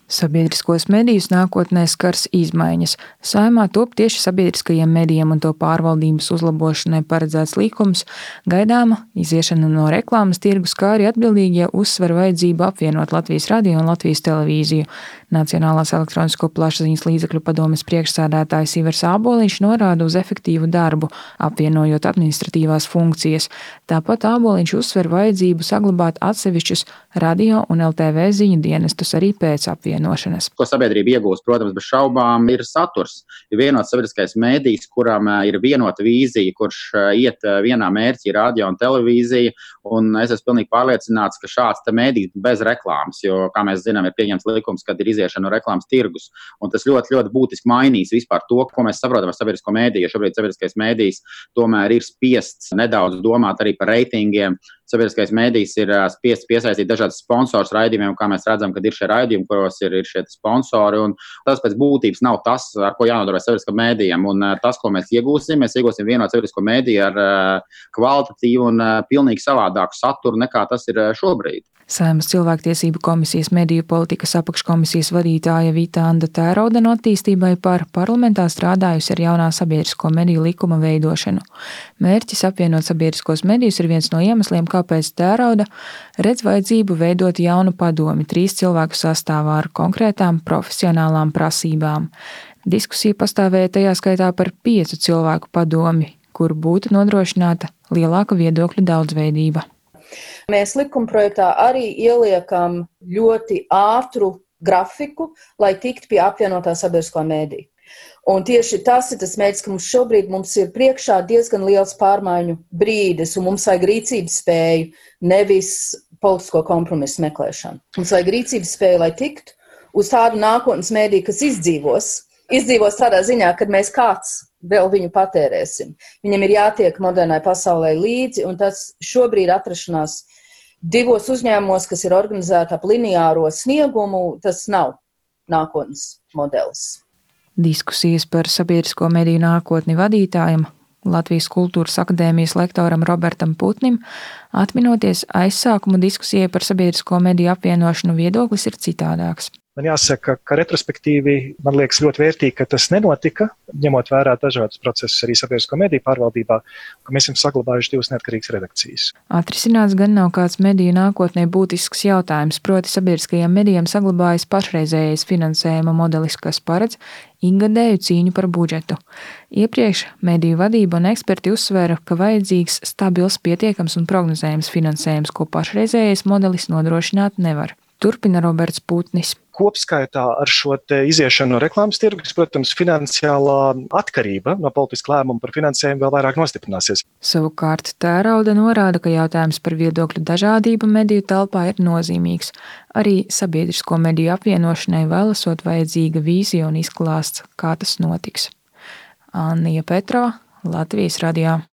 Sabiedriskos medijus nākotnē skars izmaiņas. Saeimā top tieši sabiedriskajiem medijiem un to pārvaldības uzlabošanai paredzēts likums, gaidāma iziešana no reklāmas tirgus, kā arī atbildīgie uzsver vajadzību apvienot Latvijas radio un Latvijas televīziju. Nacionālās elektronisko plašsaziņas līdzekļu padomes priekšsēdētājs Ivars Āboliņš norāda uz efektīvu darbu, apvienojot administratīvās funkcijas. Tāpat Āboliņš uzsver vajadzību saglabāt atsevišķus radio un LTV ziņu dienestus arī pēc apvienošanas. Ko sabiedrība iegūst, protams, bez šaubām, ir saturs. Ir vienots sabiedriskais mēdījis, kuram ir vienota vīzija, kurš iet vienā mērķī, radio un televīzija. Un es esmu pilnīgi pārliecināts, ka šāds mēdījis bez reklāmas, jo, kā mēs zinām, ir pieņemts likums, kad ir iziešana no reklāmas tirgus. Un tas ļoti, ļoti būtiski mainīs vispār to, ko mēs saprotam ar sabiedrisko mēdīju. Šobrīd sabiedriskais mēdījis tomēr ir spiests nedaudz domāt arī par reitingiem. Sabiedriskais mēdījis ir spiests piesaistīt dažādas sponsors raidījumiem, kā mēs redzam, kad ir šie raidījumi, kuros ir šie sponsori. Un tas pēc būtības nav tas, ar ko jānodarbojas sabiedriskam mēdījam. Un tas, ko mēs iegūsim vienot sabiedrisko mēdīju ar kvalitatīvu un pilnīgi savādāku saturu, nekā tas ir šobrīd. Saeimas cilvēktiesību komisijas mediju politikas apakškomisijas vadītāja Vita Anda Tērauda no attīstībai par parlamentā strādājusi ar jaunā sabiedrisko mediju likuma veidošanu. Mērķis apvienot sabiedriskos medijus ir viens no iemesliem, kāpēc Tērauda redz vajadzību veidot jaunu padomi 3 cilvēku sastāvā ar konkrētām profesionālām prasībām. Diskusija pastāvēja tajā skaitā par 5 cilvēku padomi, kur būtu nodrošināta lielāka viedokļu daudzveidība. Mēs likumprojektā arī ieliekam ļoti ātru grafiku, lai tiktu pie apvienotā sabiedriskā mēdīja. Un tieši tas ir tas mērķis, ka mums ir priekšā diezgan liels pārmaiņu brīdis, un mums vajag rīcības spēju, nevis politisko kompromisu meklēšanu. Mums vajag rīcības spēju, lai tiktu uz tādu nākotnes mēdīju, kas izdzīvos tādā ziņā, kad mēs kāds vēl viņu patērēsim. Viņam ir jātiek modernai pasaulē līdzi, un tas šobrīd atrašanās 2 uzņēmumos, kas ir organizēti ap lineāro sniegumu, tas nav nākotnes modelis. Diskusijas par sabiedrisko mediju nākotni vadītājam, Latvijas Kultūras akadēmijas lektoram Robertam Putnim, atminoties aizsākumu diskusijai par sabiedrisko mediju apvienošanu, viedoklis ir citādāks. Man jāsaka, ka retrospektīvi man liekas ļoti vērtīgi, ka tas nenotika, ņemot vērā dažādas procesus arī sabiedrisko mediju pārvaldībā, ka mēs esam saglabājuši 2 neatkarīgas redakcijas. Atrisināts gan nav kāds mediju nākotnē būtisks jautājums, proti sabiedriskajiem medijiem saglabājas pašreizējais finansējuma modelis, kas paredz ikgadēju cīņu par budžetu. Iepriekš mediju vadība un eksperti uzsvēra, ka vajadzīgs stabils, pietiekams un prognozējams finansējums, ko pašreizējais modelis nodrošināt nevar. Turpina Roberts Putnis. Kopskaitā ar šo iziešanu no reklāmas tirgus, protams, finansiālā atkarība no politiska lēmuma par finansējumu vēl vairāk nostiprināsies. Savukārt Tērauda norāda, ka jautājums par viedokļu dažādību mediju telpā ir nozīmīgs. Arī sabiedrisko mediju apvienošanai vēl esot vajadzīga vīzija un izklāsts, kā tas notiks. Annija Petrova, Latvijas radio.